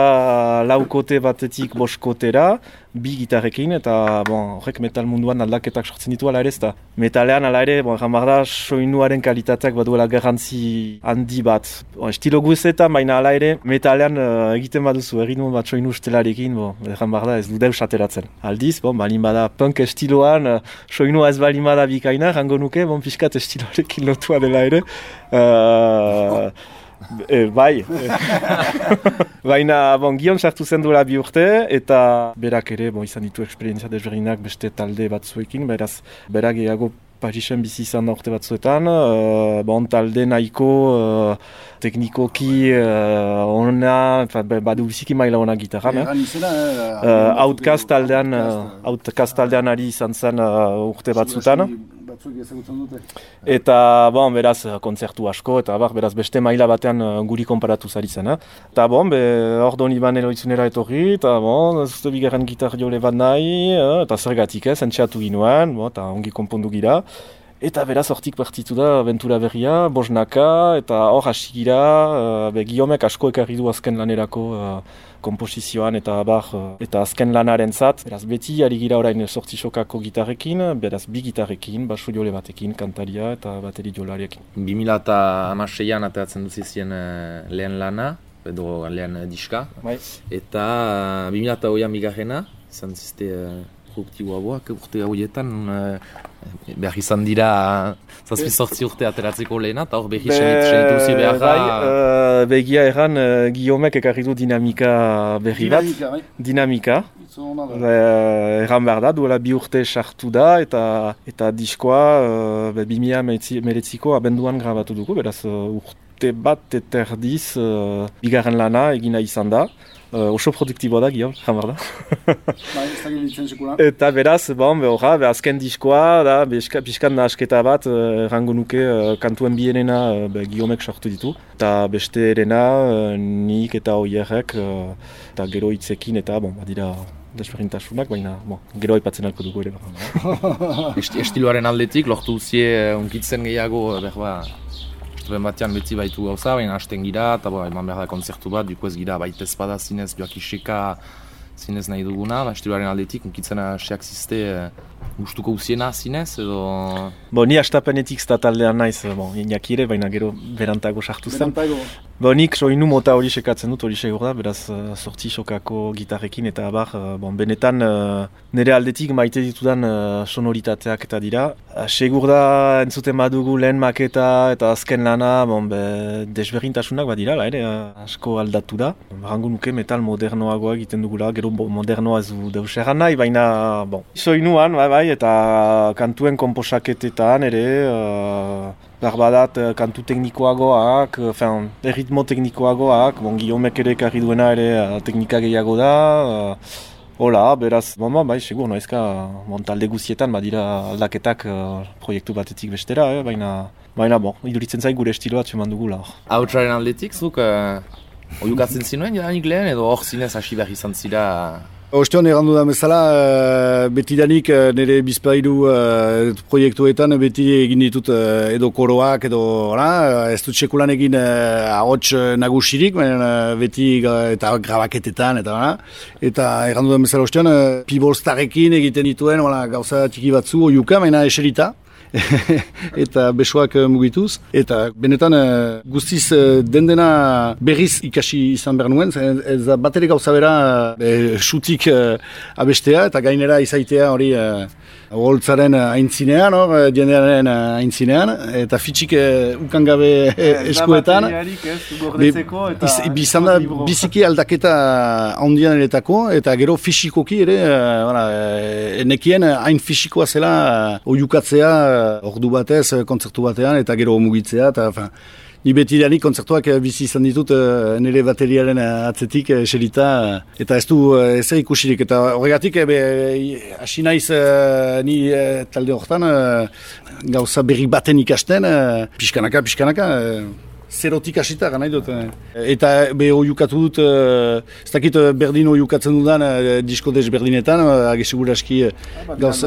4 kote batetik 5 kotera, 2 gitarrekin, eta horrek metal munduan aldaketak sortzen ditu ala ere, ez da. Metalean ala ere, da, soinuaren kalitateak baduela garrantzi handi bat. Estilo guzetan, baina ala ere, metalean egiten baduzu, erritmo bat soinu estelarekin, da, ez du deus ateratzen. Aldiz, balin bada punk estiloan, soinua ez balin bada bikaina, rango nuke, pixkat estiloarekin lotua dela ere. Bai, baina Guillaume sartu zen duela 2 urte eta berak ere izan ditu esperientzia desberdinak beste talde batzuekin, beraz berak gehiago Parisen bizi izan da urte batzuetan, talde nahiko teknikoki ona, badu biziki maila ona gitarra. Outcast taldean ari izan zen urte batzutan. Eta beraz kontzertu asko, eta beraz beste maila batean guri konparatu zari zen. Eta ordon Iban Eloitzunera etorri, eta zuzte bigarren gitarriole bat nahi, eta zergatik entxeatu ginoen, eta ongi konpondu gira. Eta beraz hortik partitu da aventura berria, bosnaka, eta hor hasi gira, Guillaumek asko ekarri du azken lanerako komposizioan eta eta azken lanaren zat. Beraz beti ari gira orain 8 sokako gitarrekin, beraz 2 gitarrekin, basu jole batekin, kantaria eta bateri jolariekin. 2016an ateratzen duzizien lehen lana, edo lehen diska, eta 2008an bigarrena, izan zizte produktiboagoak urte hauetan, behar izan dira 7-8 urte ateratzeko lehena, eta hor behi senitu zi behar da... Begia erran, Guillaumek ekarri du dinamika berri bat. Dinamika. Erran behar da, duela 2 urte sartu da, eta diskoa 2019ko abenduan grabatu dugu, beraz urte bat eta erdiz bigarren lana egina izan da. Oso produktiboa da, Guillaume, jamar da. Eta beraz, azken diskoa, da, pixkan nahasketa bat, rango nuke kantuen bienena Guillaumek sortu ditu. Eta beste erena, nik eta oierrek, eta gero hitzekin, eta badira desberdintasunak, baina gero aipatzen alko dugu ere. Estiloaren aldetik, lortu zie unkitzen gehiago, ben batean beti baitu gauza, baina hasten gira, eta eman behar da konzertu bat, duko ez gira baita ezpada zinez, joak iseka zinez nahi duguna, estiloaren aldetik, unkitzen hasiak zizte gustuko uziena zinez, edo... Ni astapenetik zta taldean naiz, Iñaki ere, baina gero berantago sartu zen. Nik soinu mota hori sekatzen dut, hori segur da, beraz sortzi sokako gitarrekin eta abar, benetan nire aldetik maite ditudan sonoritateak eta dira. Segur da entzuten badugu lehen maketa eta azken lana, desberdintasunak badira, ere, asko aldatu da. Barango nuke metal modernoagoa egiten dugula, gero modernoa ez du deus erran nahi, baina soinuan, bai, eta kantuen komposaketetan ere, barbadat kantu teknikoagoak, erritmo teknikoagoak, Guillaumek ere ekarri duena ere teknika gehiago da, hola, beraz, bai, segur, noizka, talde guztietan badira aldaketak proiektu batetik bestera, baina, iduritzen zait gure estiloa txeman dugula. Hautsaren aldetik, zuk, oiukatzen zinuen jadanik lehen, edo hor zinez hasi behar izan zira? Ostean errandu da bezala, betidanik nire bizpairu proiektuetan beti egin ditut edo koroak edo ez dut sekulan egin ahots nagusirik, beti eta grabaketetan eta errandu da bezala ostean pibolstarekin egiten dituen gauza txiki batzu oiuka, baina eserita. Eta besoak mugituz, eta benetan guztiz dendena berriz ikasi izan behar nuen, ez bat ere gauza bera xutik abestea, eta gainera izaitea hori holtzaren aintzinean, diendearen aintzinean, eta fitxik ukangabe eskuetan. Bizan da biziki aldaketa handian eretako, eta gero fisikoki ere, nekien hain fisikoa zela oiukatzea ordu batez, kontzertu batean, eta gero mugitzea, eta ni betidanik kontzertuak bizi izan ditut nire bateriaren atzetik eserita, eta ez du ezer ikusirik, eta horregatik hasi naiz ni talde horretan gauza berri baten ikasten, pixkanaka, zerotik hasita nahi dut. Eta oiukatu dut, ez dakit berdin oiukatzen dudan disko desberdinetan, agesegur aski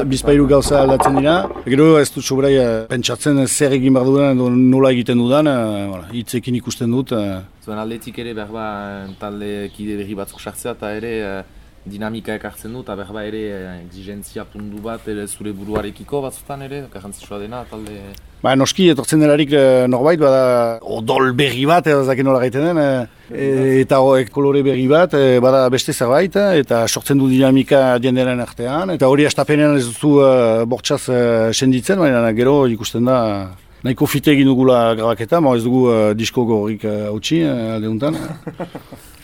bizpairu gauza aldatzen dira. Gero ez dut sobrai pentsatzen zer egin behar dudan edo nola egiten dudan, hitzekin ikusten dut. Zuen aldetik ere behar talde kide berri batzuk sartzea eta ere dinamika ekartzen du, eta behar ere exigentzia puntu bat ere zure buruarekiko batzutan ere, garrantzitsua dena talde... Noski, etortzen delarik norbait, bada odol berri bat, ez dakit nola gaiten den, eta kolore berri bat, bada beste zerbait, eta sortzen du dinamika diendearen artean, eta hori astapenean ez duzu bortxaz senditzen, baina gero ikusten da nahiko fite egin dugula grabaketa, ez dugu disko gorrik hautsi aldeuntan.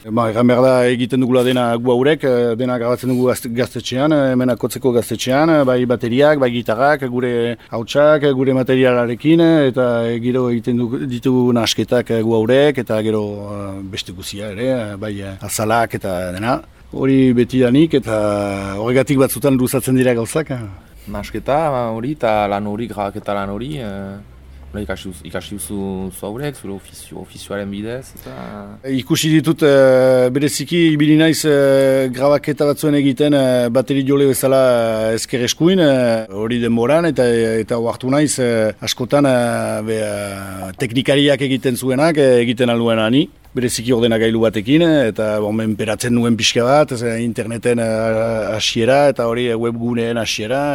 Egan behar da egiten dugula dena gu haurek, dena grabatzen dugu gaztetxean, hemen akotzeko gaztetxean, bai bateriak, bai gitarrak, gure hautsak, gure materialarekin, eta gero egiten ditugu nasketak gu haurek, eta gero beste guzia ere, bai azalak eta dena. Hori betidanik eta horregatik batzutan luzatzen dira gauzak. Nasketa hori eta lan hori, grabaketa lan hori, ikasi duzu zaurek, zure ofizioaren bidez, eta... Ikusi ditut bereziki ibili naiz grabaketa batzuen egiten bateri jole bezala ezker eskuin, hori denboran, eta oartu naiz askotan teknikariak egiten zuenak, egiten alduena ni. Bereziki ordenagailu batekin, eta menperatzen nuen pixka bat, interneten hasiera, eta hori webguneen hasiera,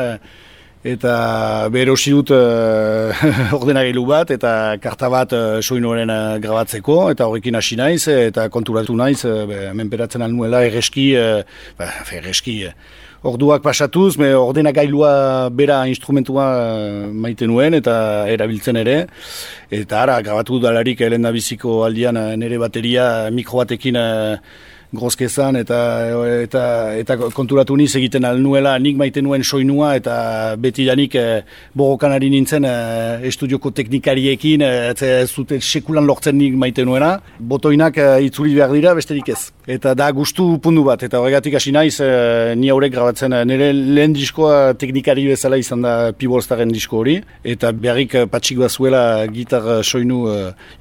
eta berosi dut ordenagailu bat, eta karta bat soinuaren grabatzeko, eta horrekin hasi naiz, eta konturatu naiz, menperatzen alnuela erreski, orduak pasatuz, ordenagailua bera instrumentua maite nuen eta erabiltzen ere. Eta ara, grabatu dalarik lehendabiziko aldian nire bateria mikro batekin grozkezan eta konturatu niz egiten alnuela nik maite nuen soinua eta betidanik borrokan ari nintzen estudioko teknikariekin ez zuten sekulan lortzen nik maite nuena. Botoinak itzuli behar dira besterik ez. Eta da gustu puntu bat, eta horregatik hasi naiz ni haurek grabatzen nire lehen diskoa teknikari bezala izan da Pibolstaren disko hori, eta beharrik patxik bazuela gitar soinu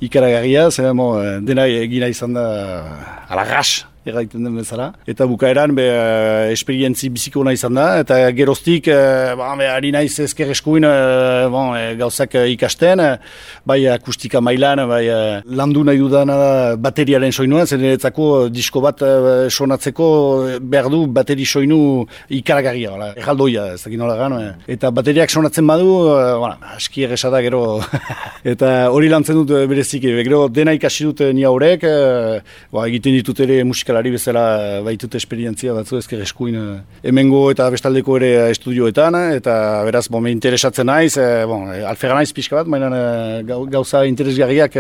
ikaragarria, dena egina izan da alagas. erraiten den bezala. Eta bukaeran esperientzi biziko nahi izan da, eta geroztik ari naiz ezker eskuin gauzak ikasten, bai akustika mailan, bai landu nahi dudana da bateriaren soinua, zen eretzako disko bat sonatzeko behar du bateri soinu ikaragarria, erraldoia, ez dakit nola gan, eta bateriak sonatzen badu, aski erresa gero eta hori lantzen dut bereziki, gero dena ikasi dut ni haurek, egiten ditut ere musikalari bezala baitut esperientzia batzu ezker eskuin hemengo eta bestaldeko ere estudioetan, eta beraz me interesatzen naiz, alfera naiz pixka bat, baina gauza interesgarriak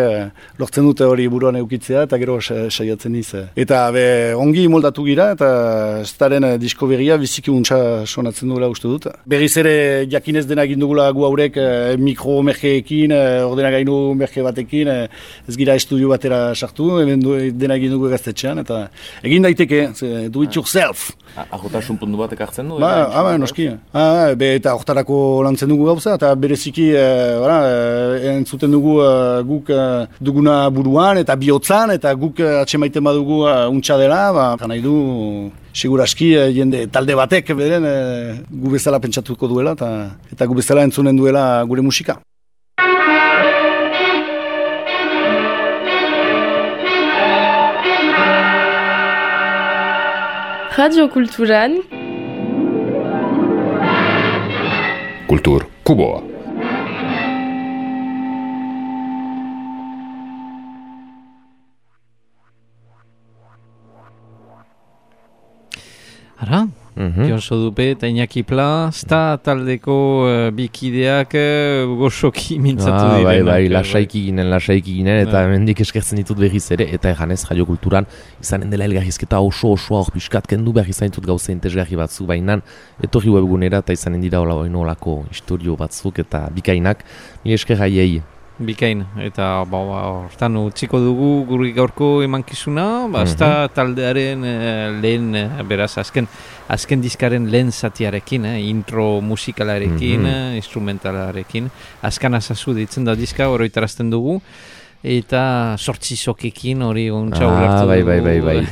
lortzen dute hori buruan eukitzea eta gero saiatzen niz. Eta ongi moldatu gira eta Staren disko berria biziki untsa sonatzen duela uste dut. Berriz ere jakinez dena egin dugula gu haurek mikro merkeekin, ordenagailu merke batekin, ez gira estudio batera sartu, hemen dena egin dugu gaztetxean, eta egin daiteke, do it yourself. Ahotasun puntu batek hartzen du? Noski. Eta hortarako lantzen dugu gauza, eta bereziki entzuten dugu guk duguna buruan, eta bihotzan, eta guk atxemaiten badugu untsa dela, nahi du seguraski jende talde batek beren gu bezala pentsatuko duela, eta gu bezala entzunen duela gure musika. Radio Kulturan Kultur Kuboa. Ara, Jon Sodupe eta Iñaki Pla, taldeko bikideak goxoki mintzatu direnak. Bai, lasaiki ginen, eta hemendik eskertzen ditut berriz ere, eta eganez Radio Kulturan izanen dela elgarrizketa oso-osoa hor pixkat kendu behar izan ditut gauza interesgarri batzu, baina etorri webgunera eta izanen dira olako historio batzuk eta bikainak, nire esker haiei. Bikain, eta hortan utziko dugu guri gaurko emankizuna, taldearen lehen, beraz, azken diskaren lehen zatiarekin, intro musikalarekin, instrumentalarekin, azkan azazu ditzen da diska, oroitarazten dugu, eta sortzizokekin hori ontsa ulertu dugu. Bai.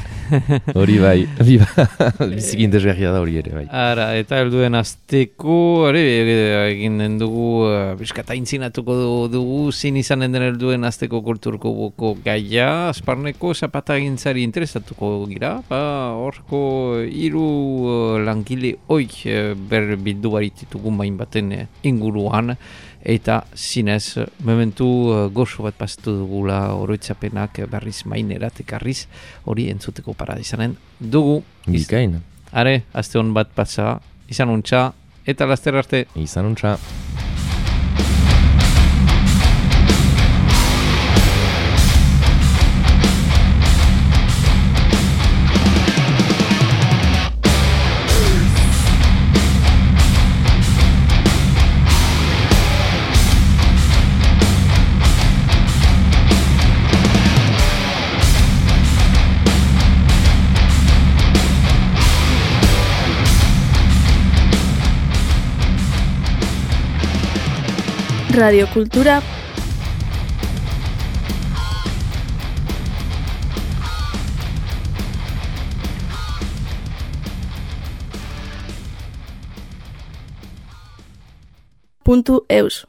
Hori bai, biziki interesgarria da hori ere, bai. Ara, eta helduen azteko, egin den dugu, biskata intzinatuko dugu, zin izanen den helduen azteko kulturko boko gaia, Azparneko zapatagintzari interesatuko gira, horko 3 langile hoik bildu barititugun bain baten inguruan, eta zinez, momentu gozo bat pasatu dugula oroitzapenak berriz mainerat ekarriz, hori entzuteko parada izanen dugu. Bikain. Are, azte hon bat pasa, izan untxa, eta laster arte. Izan untxa. Radio Kultura .eus